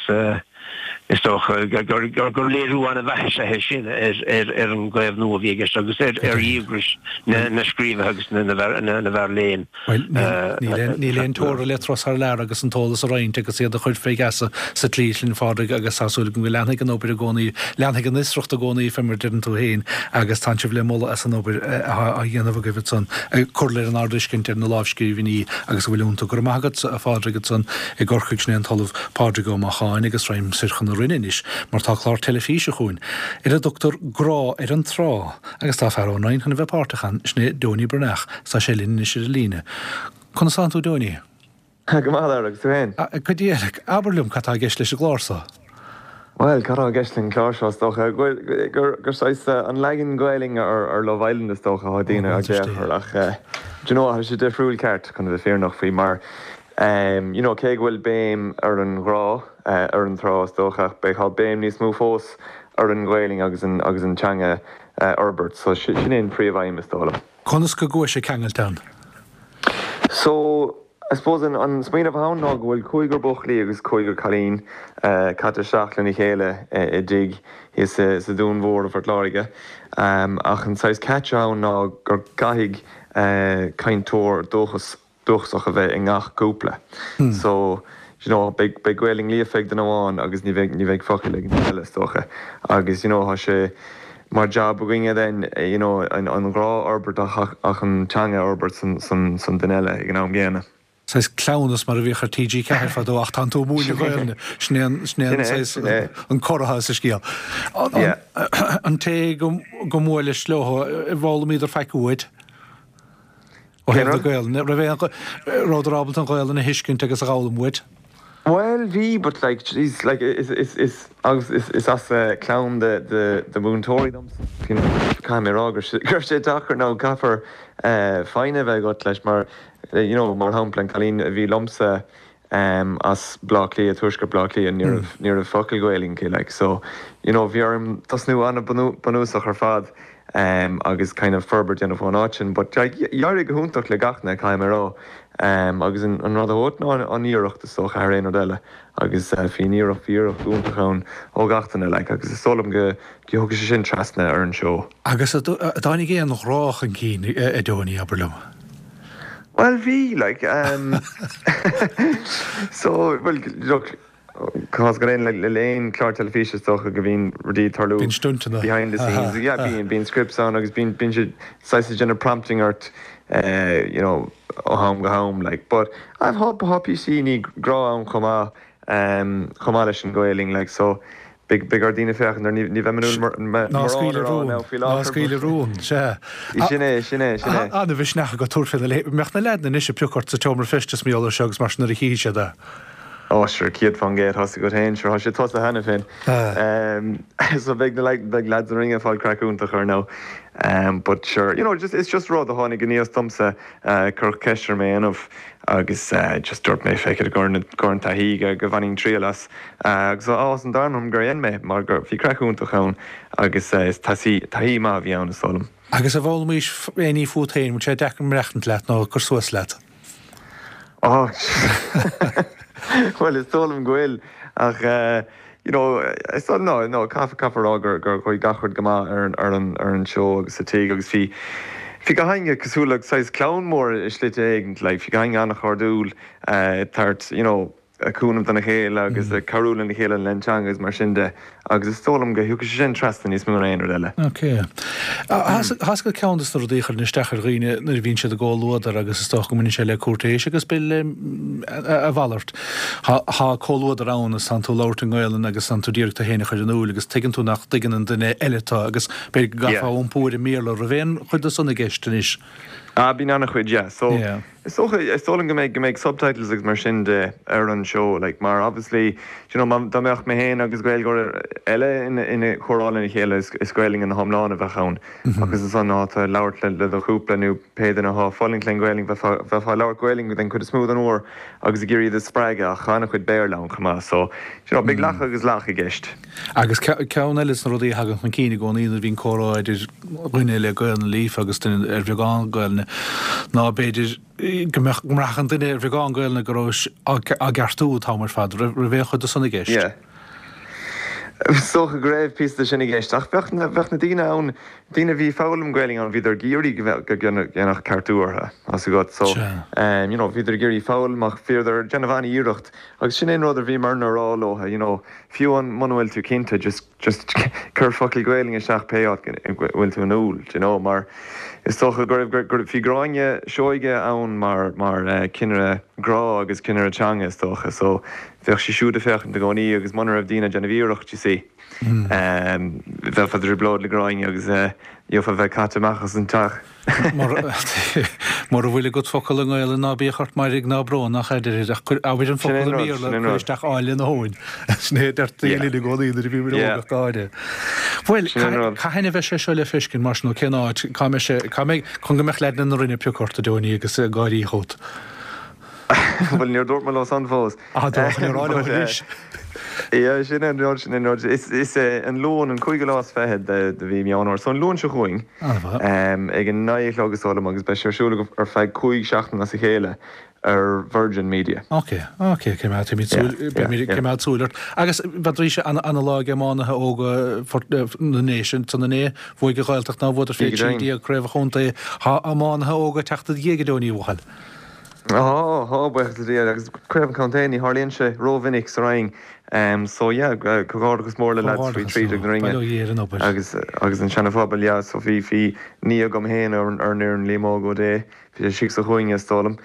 Is dócha gur léiriú an-mhaith is ea é sin ar an gcaomhnú a bhí i gceist agus ar dhíograis na scríobhaithe agus na bhfear léinn. Bhuel, níl aon teora le turas thar lear agus an t-eolas a roinnt agus iad a chur fé gheasa sa tslí sin, a Phádraig, agus tá súil agam go leanfaidh an obair i gcónaí, leanfaidh an fhiosracht i gcónaí, fé mar a deireann tú féin, agus tánn sibh le moladh as an obair atá á dhéanamh agaibh ansan, ag cur leis an ár dtuiscint ar na lámhscríbhinní agus a bhfuil iontu. Go raibh maith agat, a Phádraig, ansan i gCorcaigh, sin é an tOllamh Pádraig Ó Macháin agus raghaim soir chun na Rinne anois mar tá clár teilifíse chugainn ar a dtugtar Grá ar an Trá agus tá fear ón Rinn chun a bheith páirteach ann, sin é Donie Breathnach agus tá sé linn anois ar an líne. Conas tánn tú Donie? Go maith, a Lara, agus tú féin? Go diail. Abair liom cad tá i gceist leis an gclár so? Bhuel, cad tá i gceist leis an gclár seo, is dócha? Gur gur saghas an leagan Gaelainn ar Love Island is dócha atá daoine ag féachaint air ach do you know, tá sé difriúil ceart chun a bheith fírinneach faoi mar You know, cé go bhfuil béim ar an ghrá ar an trá is dócha, ach beidh, tá béim níos mó fós ar an Ghaelainn agus an, agus an teanga a fhorbairt. So sin é an príomh-aidhm is dóigh liom. Conas go gcuais ceangailte ann? So, I suppose an, an smaoineamh atá ann ná go bhfuil cúigear buachaillí agus cúigear cailín caite isteach lena chéile i dtigh thíos sa Dún Mhór i bPort Láirge. Ach an saghas catch atá ann ná gur caithfidh cainteoir dúchas dúchasach a bheith i ngach cúpla. So, you know, beidh, beidh Gaelainn líofa ag duine amháin agus ní bheidh, ní bheidh focal ag an duine eile, is dócha. Agus, you know, tá sé mar jab againne then, you know, an, an grá a fhorbairt ach, ach an teanga a fhorbairt san, san, san duine eile ag an am gcéanna. Saghas cleamhnas mar a bhíodh ar TG4 fadó ach tánn tú ag múineadh Gaelainne. Sin é an, sin é an saghas, an cor atá sa scéal. An, an té go, go mbuaileas leo, d'fhoghlaimíodar faic uait? Ó thaobh na Gaelainne, raibh aon, rabhadar ábalta an Ghaelainn a thuiscint agus a dh'fhoghlaim uait? Bhuel, bhí, but like, jeez, like, is, is, is, agus is, is as clann de, de, de mhúinteoirí domsa, you know, caithfidh mé a rá go raibh sé, go raibh sé deacair nó caithfear foighne a bheith agat leis mar, you know, mar shampla an cailín a bhí liomsa, as Bleá Cliath, tuaisceart Bleá Cliath, ní raibh, ní raibh focal Gaelainn aici, like, so, you know, bhí orm tosnú an-bhunúsach ar fad agus kind of forbairt a dhéanamh ón áit sin, but like, d'éirigh go hiontach le gach duine, caithfidh mé a rá, agus an, an rud a thóg ná an iarracht is dócha thar aon rud eile agus bhí an iarracht, bhí iarracht iontach ann ó gach duine, like, agus is dóigh liom go, go dtiocfaidh sé sin trasna ar an seó. Agus an dtáinig aon ghrá chun cinn, a Donie, abair liom? Bhuel bhí, like, um, so, bhuel, look, cás go aon le aon chlár teilifíse is dócha go mbíonn rudaí ag tarlú Bíonn stuntanna. behind the scenes. Yeah, bíonn, bíonn scripts ann agus bíonn, bíonn siad saghas ag déanamh prompting ort, eh, you know, ó ham go ham, like. But, I've tá, tá píosaíní grá ann chomh maith, um, chomh maith leis an Ghaelainn, like, so, Beidh beidh ar daoine féachaint air, ní bheidh mé in ann Ná scaoil a rún, ná scaoil a rún, sea. Sin é, sin é, sin é. An-mhisneach agat tabhairt faoina leithéid. Mbeadh na leaideanna anois ag piocadh ort sa tseomra feistis mar gheall air seo agus mar sin nuair a chífidh siad é. Ó, sure, 100%, tá a fhios agat féin, sure, tá sé tosaithe cheana féin. So beidh na beidh leaids na Rinne ag fáil craic iontach ar ndóigh. But sure, you know, just, it's just rud a tháinig aníos domsa, cuireadh ceist orm é a dhéanamh agus just dúirt mé, feck it, i gcomhair an taithí go bhainfinn triail as. Agus tá áthas an domhain orm gur dhein mé, mar gur bhí craic iontach ann agus is taithí maith a bhí ann, is dóigh liom. Agus an bhfoghlaimís aon ní fút féin, bhfuil sé deacair maireachtaint leat nó cur suas leat? Á, bhuel, is dóigh liom go bhfuil, ach you know, is dóigh, no, no, caithfear a rá gur chuaigh gach rud go maith ar an, ar an seó agus sa tigh agus bhí, bhí gach éinne cosúil le saghas clann mór i slite éigint, like, bhí gach éinne an-chairdiúil, ag tabhairt, you know, cúnamh dona chéile agus ag cabhrú lena chéile le an teanga agus mar sin de agus is dóigh liom go thiocfaidh sé sin trasna níos mó ná aon rud eile. Ok. Tá a fhios agat ceann des na rudaí a chuireann isteach ar dhaoine nuair a bhíonn siad i gcomhluadar agus is dócha go mbaineann sé le cúirtéis agus b'fhéidir le a mhalairt. Tá comhluadar ann agus tánn tú ag labhairt i nGaelainn agus tánn tú d'iarraidh tú féin a chur in iúil agus tuigeann tú nach dtuigeann an duine eile tú agus b'fhéidir go gcaithfeá iompú ar an mBéarla. Raibh aon chuid de san i gceist anois? Ah, bíonn an-chuid, yeah. So, Is dócha, is dóigh liom go mbeidh, go mbeidh subtitles agus mar sin de ar an seó, like, mar obviously, do you know, má, dá mbeadh mé féin agus Gaeilgeoir eile ina, ina chomhrá lena chéile, is, is Gaelainn ina hiomlán a bheadh ann. Agus ansan má tá labhairt le, le do chúpla nó pé duine atá ag fulaingt le Gaelainn, bheifeá, bheifeá ag labhairt Gaelainn den chuid is mó den uair agus ag iarraidh iad a spreagadh ach tá an-chuid Béarla ann chomh maith, so, do you know, beidh lacha agus lach i gceist. Agus ceann eile des na rudaí a thagann chun cinn i gcónaí nuair a bhíonn comhrá idir dhuine le Gaelainn líofa agus duine ar bheagán Gaelainne ná b'fhéidir go mbeadh, go mbraithfeadh an duine ar bheagán Gaelainne go rabhais á gceartú an t-am ar fad. Raibh aon chuid de san i gceist? Yeah. Is dócha go raibh píosa de sin i gceist ach bheadh na, bheadh na daoine ann, daoine a bhí ag foghlaim Gaelainn ann, bhíodar ag iarraidh go mbeadh, go ndéanfadh ceartú orthu, tá a fhios agat. So, you know, bhíodar ag iarraidh foghlaim ach bhíodar ag déanamh an-iarracht agus sin é an rud a bhíomarna a rá leo, you know, Fiú amháin muna bhfuil tú cinnte, just, just cuir focal Gaelainn isteach pé áit go bhfuil tú in iúl, do you know, mar is dócha go raibh, go raibh, bhí Gráinne Seoige ann mar, mar cinnire grá agus cinnire teanga is dócha, so bheadh sí siúd ag féachaint i gcónaí agus muna raibh daoine ag déanamh iarracht, you see, bheifeá i dtrioblóid le Gráinne agus gheofá bheith caite amach as an teach. Mura bhfuil agat focal i nGaelainn ná bíodh ort mairg ná brón ach a deirtear ach cuir abair an focal i mBéarla cuir isteach áille na habhann. Sin é a deirtí linn i gcónaí nuair a bhíomar óg ach go háirithe. Bhuel, cathain a bheidh sé seo le feiscint mar sin nó cén áit, cá mbeidh sé, cá mbeidh, chun go mbeadh leaideanna na Rinne ag piocadh ort a Donie agus ag gáirí fút? Bhuel, níor dúirt mé leo san fós. Ah, dúirt mé rá leo anois. Yeah, sin é an rud, sin é an rud. Is, is é an Luan, an cúigiú lá is fichead de, de mhí Meán Fhómhair. So an Luan seo chugainn, ag a naoi a chlog is dóigh liom agus beidh sé ar siúl ar feadh cúig seachtain as a chéile ar Virgin Media. Ok, ok, coimeád, coimeád súil, beimid ag coimeád súil ort. Agus bheadh arís ana-lá ag iománaithe óga na nDéise, san inné, bhuaigh an Ghaeltacht ná bhuadar fé 13 craobh an chontae. Tá iománaithe óga ag teacht i do dhiaidh a Donie, a bhuachaill. Tá, tá, buíochas le Dia, agus craobh an chontae, ní tharlaíonn sé rómhinic sa Rinn. So yeah, comhghairdeachas mór le lads faoi 13 na Rinne agus agus an Seana Phobal, yeah, so bhí bhí nia agam féin ar an fhoireann, Liam Óg Ó Dé, bhí sé istigh sa chúinne is dóigh liom.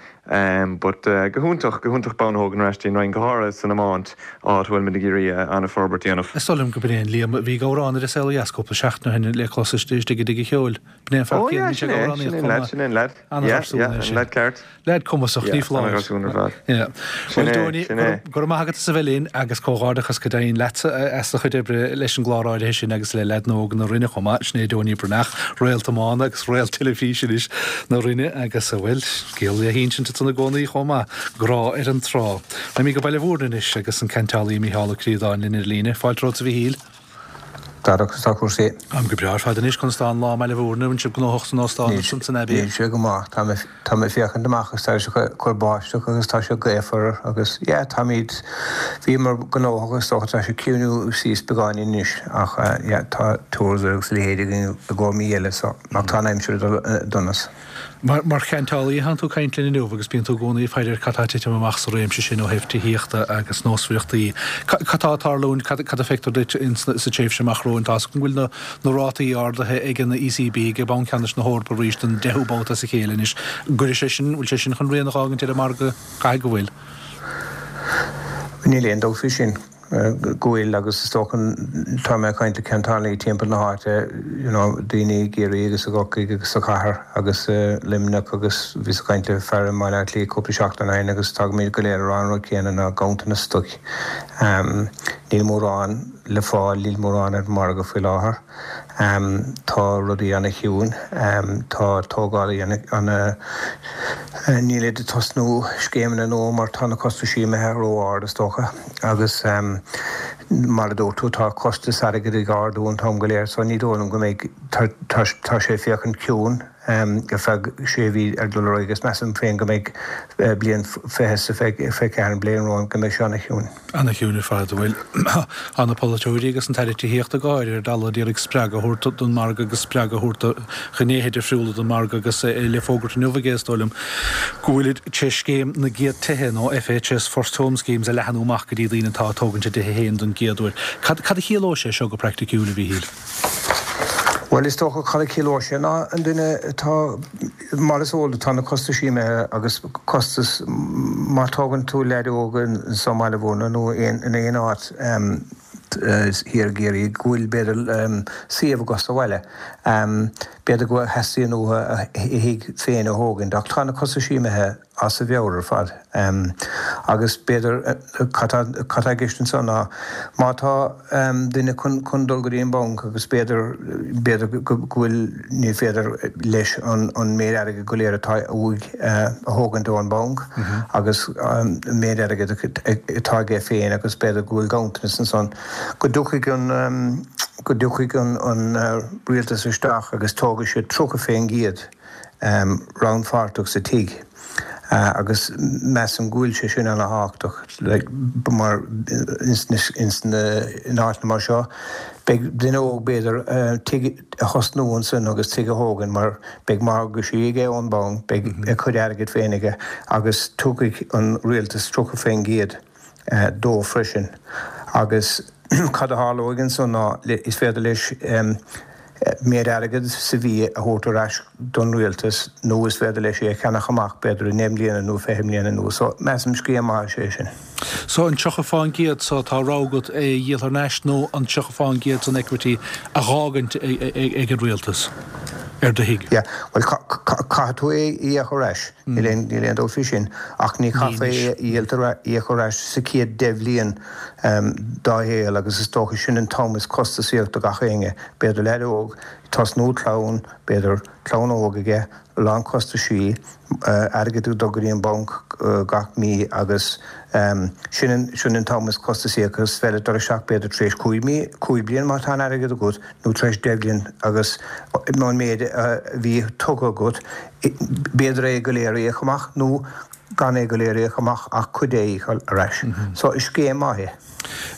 But go hiontach, go hiontach bonn a thógaint ar ais dtí an Rinn, go háirithe san iomáint, áit a bhfuil muid ag iarraidh an-fhorbairt a dhéanamh. Is dóigh liom gurb é an Liam a bhí ag amhrán ar An Saol Ó Dheas cúpla seachtain ó shin le clos istigh i dTigh an Cheoil. B'in é an fear céanna, bhí sé ag amhránaíocht chomh maith. Sin é an leaid, An-gharsún é sin. An leaid ceart. Leaid cumasach, ní foláir. An-gharsún ar fad. Bhuel, Donie, go raibh maith agat as a bheith linn agus comhghairdeachas go deimhin leatsa as do chuid oibre leis an gclár áirithe sin agus le leaideanna óga na Rinne chomh maith. Sin é Donie Breathnach, réalt iomána agus réalt teilifíse anois na Rinne agus, bhuel, scéal le hinsint ansan i gcónaí chomh maith, Grá ar an Trá. Raghaimid go Baile Mhúirne anois agus an ceantálaí Mícheál Ó Críodáin linn ar líne. Fáilte romhat a Mhíchíl. Darach, conas tá cúrsaí? Táim go breá ar fad anois. Conas tá an lá i mBaile Bhúirne? Bhfuil sibh gnóthach san óstán ansan san Abbey? Níl sé go maith. Tá mé, tá mé ag féachaint amach agus tá sé ag cur báisteach agus tá sé gaofar agus yeah, táimid, bhíomar gnóthach is dócha, tá sé ciúnú síos beagáinín anois ach yeah, tá tours agus a leithéid againn i gcomhair mí eile so, ach tá an aimsir ag dul i donas. Mar cheantálaí atánn tú ag caint linn inniu agus bíonn tú i gcónaí ag faire ar cad tá ag titim amach sa réimse sin ó thaobh tithíochta agus nósmhaireachtaí. Cad tá ag tarlúint, cad a feictear duit sa tréimhse amach romhainn? Tá a fhios agam go bhfuil na rátaí ardaithe ag an ECB, ag Banc Ceannais na hEorpa arís don deichiú babhta as a chéile anois. An gcuirfidh sé sin, bhfuil sé sin chun rian a dh'fhágaint ar an margadh? Caithfidh go bhfuil. Níl aon dabht faoi sin. go bhfuil agus is dócha tá mé ag caint le ceantálaí timpeall na háite you know daoine i gCiarraí agus i gCorcaigh agus sa chathair agus i Luimneach agus bhíos ag caint le fear i mBaile Átha Cliath cúpla seachtain ó shin agus tagaimid go léir ag rá an rud céanna ná ganntanas stoic. Níl mórán le fáil, níl mórán ar an margadh faoi láthair. Tá rudaí ana-chiúin. Tá tógálaí ana, nílid ag tosnú scéimeanna nua mar tá na costaisí imithe ró-ard is dócha agus mar a dúirt tú tá costas airgid ag ardú an t-am go léir so ní dóigh liom go mbeidh, tá sé ag féachaint ciúin ar feadh sé mhí ar dul ar aghaidh agus measaim féin go mbeidh bliain 2024 an bliain romhainn go mbeidh sé ana-chiúin. Ana-chiúin ar fad. Bhuel, tá na polaiteoirí agus an tAire Tithíochta go háirithe ar dalladh ag iarraidh spreagadh a thabhairt don mhargadh agus spreagadh a thabhairt do ghnéithe difriúla den mhargadh agus é le fógairt inniu aige, is dóigh liom, go bhfuilid tar éis scéim na gcéad tithe nó FHS, First Home Schemes, a leathanú amach go dtí daoine atá ag tógaint a dtithe féin don gcéad uair. Cad a chiallóidh sé seo go praiticiúil, a Mhíchíl? Bhuel, is dócha cad a chiallóidh sé ná an duine atá, mar is eol duit, tá na costaisí imithe agus costas, má tógann tú leaid óg anso i mBaile Bhúirne nó in aon áit thiar i gCiarraí go bhfuil b'fhéidir suíomh acu sa bhaile, b'fhéidir go theastaíonn uathu a thigh féin a thógaint ach tá na costaisí imithe. as a mheabhair ar fad. Agus b'fhéidir, cad tá i gceist anso ná má tá duine chun dul go dtí an banc agus b'fhéidir, b'fhéidir go bhfuil, ní féidir leis an méid airgid go léir atá uaidh a thógaint ón banc agus an méid airgid atá aige féin agus b'fhéidir go bhfuil ganntanas ansan, go dtiocfaidh an, go dtiocfaidh an rialtas isteach agus tógfaidh siad 30%. rannpháirteach sa tigh agus measaim go bhfuil sé sin ana thábhachtach like mar ins na ins na in áiteanna mar seo beidh duine óg b'fhéidir tigh a thosnú ansin agus tigh a thógaint mar beidh morgáistí aige ón banc beidh a chuid airgid féin aige agus tiocfaidh an rialtas 30% dó freisin agus cad a tharlóidh ansan ná is féidir leis méid airgid sa mhí a thabhairt ar ais don rialtas nó is féidir leis é a cheannach amach b'fhéidir i ndeich mbliana nó fiche mbliana anuas. So measaim scéim maith is ea sin. So an 30 fán gcéad so tá rogha agat é a dhíol thar n-ais nó an 30 fán gcéad san equity a dh'fhágaint ag an rialtas ar do thigh? Yeah, bhuel caithfidh tú é a íoc ar ais. Níl aon níl aon dabht faoi sin. Ach ní chaithfear é a dhíol a íoc ar ais sa chéad deich bhliain dá shaol agus is dócha sin an t-am is costasaíoch do gach éinne. B'fhéidir leaid óg, tosnú clann, b'fhéidir clann óg aige, a lán costaisí, airgead ag dul go dtí an banc gach mí agus sin an sin an t-am is costasaí agus is féidir dul isteach b'fhéidir tar éis 5 mí, 5 bliain má tá an airgead agat nó tar éis 10 bhliain agus an méid a bhí tugtha agat B'fhéidir é go léir a íoc amach nó gan é go léir a íoc amach ach cuid de a íoc ar ais. So is scéim maith é.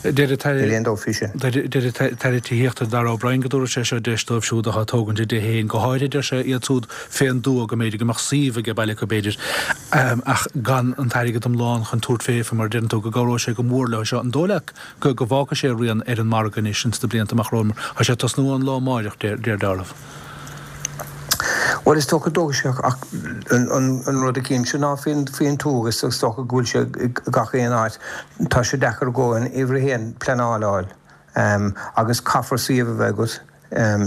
Deir an tAire Níl aon dabht faoi sin. Deir an tAire Tithíochta Darragh O'Brien go dtabharfaidh sé seo deis dóibh siúd atá ag tógaint a dtithe féin, go háirithe, deir sé, iad siúd fén dtuath, go mb'fhéidir go mbeadh suíomh age baile acu, b'fhéidir, ach gan an t-airgead iomlán chun tabhairt faofa, mar a deireann tú, go gcabhróidh sé go mór leo seo. An dóigh leat go go bhfágfaidh sé a rian ar an margadh anois ins na blianta amach romhainn mar tá sé ag tosnú ón lá amáireach, deir dealramh. Bhuel, is dócha go dtógfaidh sé ach an rud a chímse ná faoin tuath agus is dócha go bhfuil sé i gach aon áit, tá sé deacair i gcónaí an uimhir a haon pleanáil a fháil agus caithfear suíomh a bheith agat,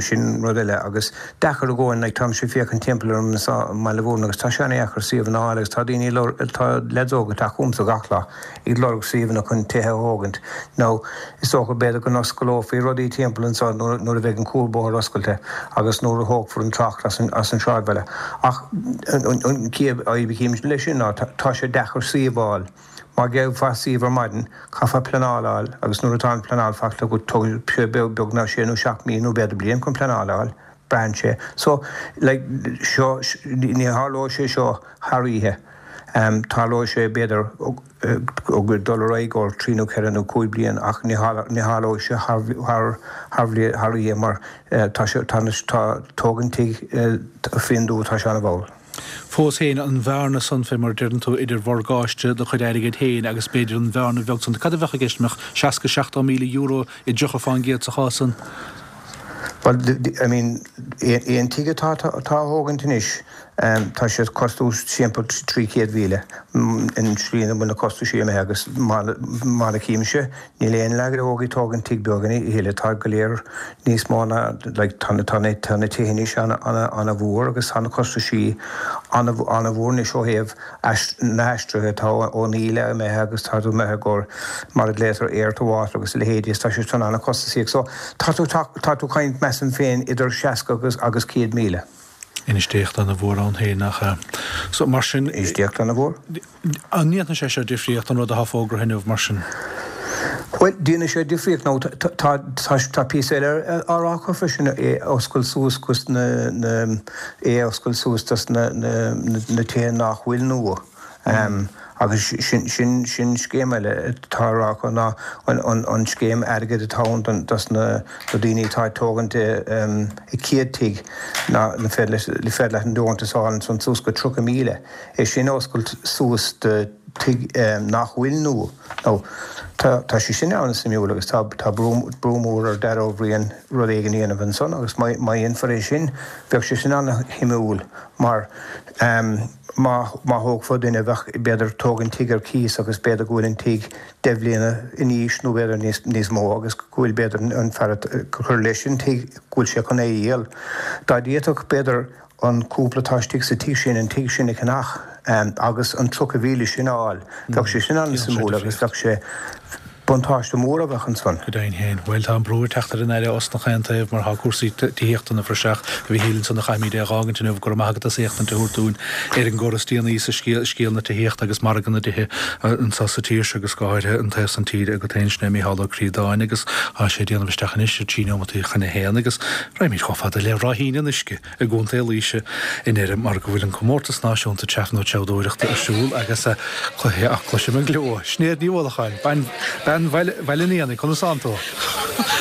sin rud eile agus deacair i gcónaí, like táimse ag féachaint timpeall orm anseo i mBaile Bhúirne agus tá sé an-dheacair suíomhanna a fháil agus tá daoine, tá leaids óga ag teacht chugamsa gach lá ag lorg suíomhanna chun tithe a thógaint. Now, is dócha, b'fhéidir go n-osclófaí rudaí timpeall anseo nuair a bheidh an cuarbhóthar oscailte agus nuair a thógfar an trácht as an sráidbhaile. Ach an chéad fhadhb a chímse leis sin ná tá sé deacair suíomh a fháil. Má gheofá suíomh ar maidin, caithfeá pleanáil a fháil agus nuair atá an pleanáil faighte agat tógfaidh sé beagnach sé nó seacht mí nó b'fhéidir bliain chun pleanáil a fháil, braitheann sé. So, like, seo, ní tharlóidh sé seo thar oíche. Tarlóidh sé b'fhéidir ag dul ar aghaidh ó thrí nó ceithre nó cúig bliain ach ní tharlóidh sé thar thar oíche mar tá sé, tá, tá tógaint tigh fén dtuath, tá sé an-mhall. Fós féin, an bhearna san, fé mar a deireann tú, idir mhorgáiste do chuid airgid féin agus b'fhéidir an bhearna bheag san, cad a bheadh i gceist? An mbeadh 60, 70 míle euro i dtríocha fán gcéad sa chás san? Bhuel, I mean, aon tigh atá á thógaint anois, tá sé ag costú timpeall 300,000 an tslí ina bhfuil na costaisí imithe agus mar a chímse, Níl aon leaid óg ag tógaint tigh beag a thuilleadh, tá go léir níos mó ná, like, tá na, tá na, tá na tithe anois ana-mhór agus tá na costaisí ana-mhór anois ó thaobh na haistrithe atá ón íle imithe agus tá tú imithe go, mar a glaotar air to water agus a leithéidí is tá sé sin ana-chostasach. So tá tú, tá tú caint measaim féin idir 60 agus, agus 100,000. Infheistíocht ana-mhór ann féin, nach ea? So mar sin. Infheistíocht ana-mhór. An ndéanfaidh sé seo difríocht, an rud atá fógraithe inniu, mar sin? Bhuel, déanfaidh sé difríocht nó tá, tá, tá píosa eile á rá acu freisin, é a oscailt suas dos na, na, é a oscailt suas dos na, na, na tithe nach bhfuil nua. Agus sin, sin, sin scéim eile atá á rá acu ná an, an, an scéim airgid atá ann don, dos na, na daoine atá ag tógaint a chéad tigh ná, na féidir leis, féidir leat an deontas a fháil ansan suas go 30,000. é sin a oscailt suas do tigh nach bhfuil nua. Now, tá, tá sé sin an-suimiúil agus tá, tá brú, brú mór ar Darragh Ó Briain rud éigin a dhéanamh ansan agus má, má dhéanfar é sin, bheadh sé sin an-shuimiúil mar má, má thógfá duine bheadh, b'fhéidir, tógaint tigh ar cíos agus b'fhéidir go bhfuil an tigh deich mbliana in aois nó b'fhéidir níos, níos mó agus go bhfuil b'fhéidir an fear a chuir leis an tigh go bhfuil sé chun é a dhíol. Dá d'fhéadfadh b'fhéidir an cúpla atá istigh sa tigh sin an tigh sin a cheannach agus an 30,000 sin a fháil. Bheadh sé sin an-suimiúil agus bheadh sé, buntáiste mór a bheadh ansan. Go deimhin féin. Bhuel, tá an brú ag teacht ar an Aire osna chaon taobh mar tá cúrsaí tithíochta ina phraiseach. A Mhichíl, ansan a chaithfimid é a dh'fhágaint inniu. Go raibh maith agat as éachtaint a thabhairt dúinn ar an gcor is déanaí sa scéal, scéal na tithíochta agus margadh na dtithe anso sa tír seo agus go háirithe an taobh san tíre agat féin, sin é Mícheál Ó Críodáin agus tá sé ag déanamh isteach anois ar trí neomataí chun a haon agus raghaimid chomh fada le Ráithín an Uisce. i gContae Laoise i ndeireadh mar go bhfuil an comórtas náisiúnta treafa nó treabhdóireachta ar siúl agus cluiche ach cloisim an gleo. Sinéad Ní Uallacháin, bean Bhaile an Éanaigh, conas tánn tú?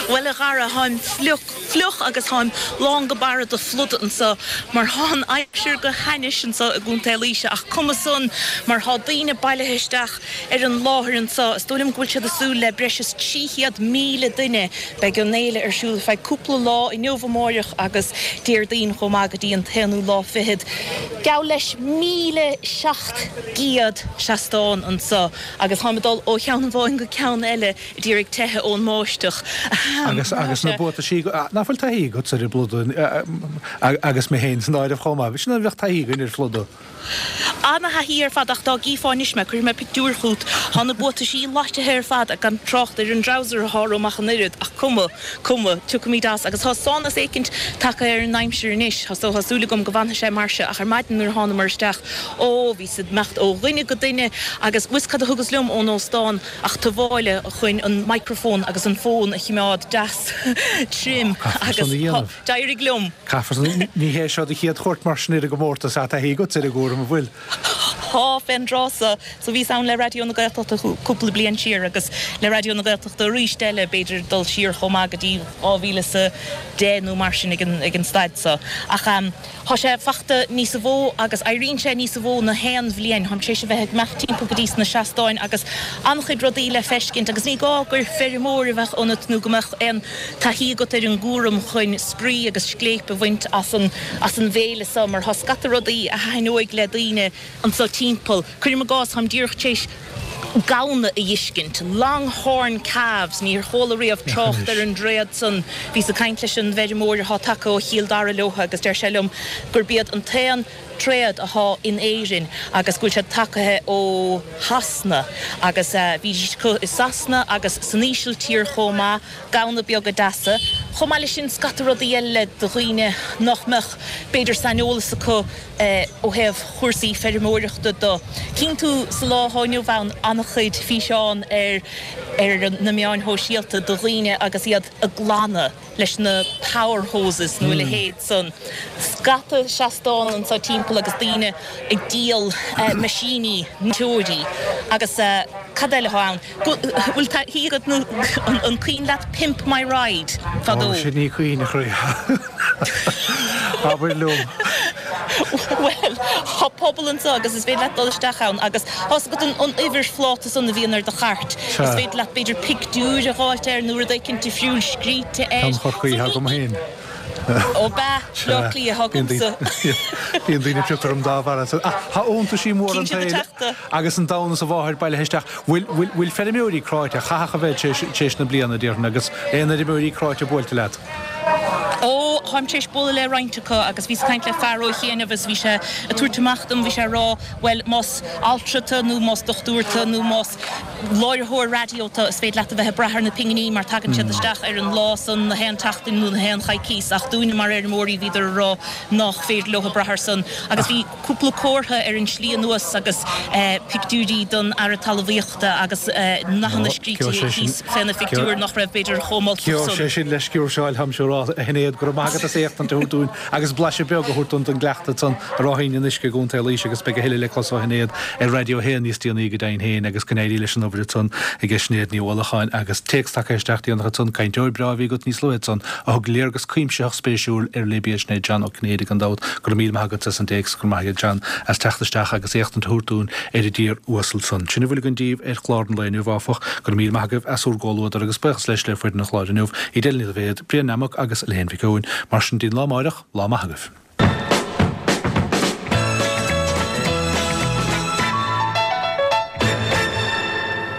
Bhuel a Dhara, tháim fliuch, fliuch agus tháim lán go barra de phluda anso mar thá an aimsir go hainnis anso i gContae Laoise ach cuma san mar thá daoine bailithe isteach ar an láthair anso. Is dóigh liom go bhfuil siad ag súil le breis is 300,000 duine. Beidh an fhéile ar siúl ar feadh cúpla lá, inniu, amáireach agus Déardaoin chomh maith go dtí an t-aonú lá fichead. Geall leis 1,700 seastán anso agus táim ag dul ó cheann amháin go ceann eile ag iarraidh teitheadh ón mbáisteach. Agus agus na buataisí, nach bhfuil taithí agatsa ar an bpluda agus mé féin san áireamh chomh maith. Sin an bheadh taithí againn ar phluda. Ana-thaithí ar fad ach dá gcífeá anois mé, cuirfidh mé pictiúr chút, thá na buataisí loitithe ar fad gan trácht ar an dtreabhsar athá orm ach an oiread, ach cuma, cuma, tiocfaimid as. Agus thá sonas éicint tagtha ar an aimsir anois, so thá súil agam go bhfanfaidh sé mar seo ach ar maidin nuair a thánamar isteach, ó, bhíos ag imeacht ó dhuine go duine agus bhfuil 's cad a thugas liom ón óstán ach tuáille chun an microphone agus an fón a chimeád deas tirim agus thá, d'éirigh liom. Caithfear san. Ní hé seo do chéad chuairt mar sin ar an gcomórtas, tá taithí agat ar an gcúram, an bhfuil? Tá, fén dtráth so. So bhíos ann le Raidió na Gaeltachta cúpla bliain siar agus le Raidió na Gaeltachta arís eile, b'fhéidir dul siar chomh maith go dtí 2010 nó mar sin ag an, ag an staid so. Ach thá sé fachta níosa mhó agus éiríonn sé níosa mhó na haon bhliain. Tháim tar éis a bheith ag imeacht timpeall go dtí sna seastáin agus an-chuid rudaí le feiscint agus ní gá gur feirmeoir a bheadh ionat nó go mbeadh aon taithí agat ar an gcúram chun spraoi agus scléip a bhaint as an as an bhféile so mar thá scata rudaí a thaitneoidh le daoine anso timpeall. Cuirim i gcás, táim díreach tar éis gamhna a dh'fheiscint, Longhorn calves, níor chuala riamh trácht ar an dtréad san. Bhíos ag caint leis an bhfeirmeoir athá tagtha ó Chill Dara leotha agus deir sé liom gurb iad an t-aon tréad athá in Éirinn agus go bhfuil siad tagaithe ó Shasana agus bhídís acu i Sasana agus san Ísiltír chomh maith, gamhna beaga deasa. Chomh maith leis sin, scata rudaí eile do dhaoine nach mbeadh, b'fhéidir, saineolas acu ó thaobh chúrsaí feirmeoireachta de. Cíonn tú sa lá atá inniu ann an-chuid físeán ar ar na meáin shóisialta de dhaoine agus iad ag glanadh leis na power hoses nó a leithéid san. Scata seastán anseo timpeall agus daoine ag díol meaisíní, teoirí agus cad eile atá ann? Bhfuil taithí agat nó an cuimhin leat Pimp My Ride fadó? Ó, sin ní cuimhin, a chroí. Abair liom. Bhuel, tá pobal anseo agus is féidir leat dul isteach ann agus tá's agat an uimhir phláta san a bhíonn ar do chairt, is féidir leat b'fhéidir pictiúr a dh'fháilt air nó rud éicint difriúil scríte air. Ceann Chorcaí agam féin. Ó b'ea, Bleá Cliath agamsa. Bíonn daoine ag piocadh orm dá bharr. Ach tá iontaisí móra an tsaoil agus an domhan is a mháthair bailithe isteach. Bhfuil feirmeoirí cráite, chaithfeadh a bheith tar éis na bliana, déarfainn, agus aon fheirmeoirí cráite buailte leat? Ó, táim tar éis bualadh le roinnt acu agus bhíos ag caint le fear ó chianaibh agus bhí sé ag tabhairt amach dom, bhí sé ag rá, bhuel, más altra tú nó más dochtúir tú nó más láithreoir raidió tú, is féidir leat a bheith ag brath ar na pinginí mar tagann siad isteach ar an lá san, na haon tseachtain nó na haon choicíos ach dúinne mar fheirmeoirí bhíodar ag rá nách féidir leo brath ar san agus bhí cúpla comhartha ar an slí anuas agus pictiúirí don Aire Talmhaíochta agus nathanna scríte thíos fé na phictiúir nach raibh b'fhéidir chomh moltach san. Gheobhaidh sé sin le sciúrseáil, táimse ag rá, a Shinéad, go raibh maith agat as éachtaint a thabhairt dúinn agus blaiseadh beag a thabhairt dúinn den gcleachtadh san i Ráithín an Fhionnuisce i gContae Laoise agus beidh a thuilleadh le clos ó Shinéad ar Raidió 1 níos déanaí go deimhin féin agus go n-éirí leis an obair ansan ag Sinéad Ní Uallacháin agus téacs tagtha isteach déanach ansan, cainteoir breá a bhí agat níos luaithe ansan a thug léargas cuimsitheach spéisiúil ar Libia sin é John Ó Cinnéide gan dabht. Go raibh míle maith agat as an dtéacs, go raibh maith agat John as teacht isteach agus éachtaint a thabhairt dúinn ar an dtír uasal san. Sin a bhfuil againn díbh ar chlár an lae inniu áfach. Go raibh míle maith agaibh as bhur gcomhluadar agus buíochas leis le foireann an chláir inniu, Edel Ní Dhaibhéad, Brian Nammock agus Elaine Mhic Eoin. Mar sin dtí an lá amáireach, lá maith agaibh.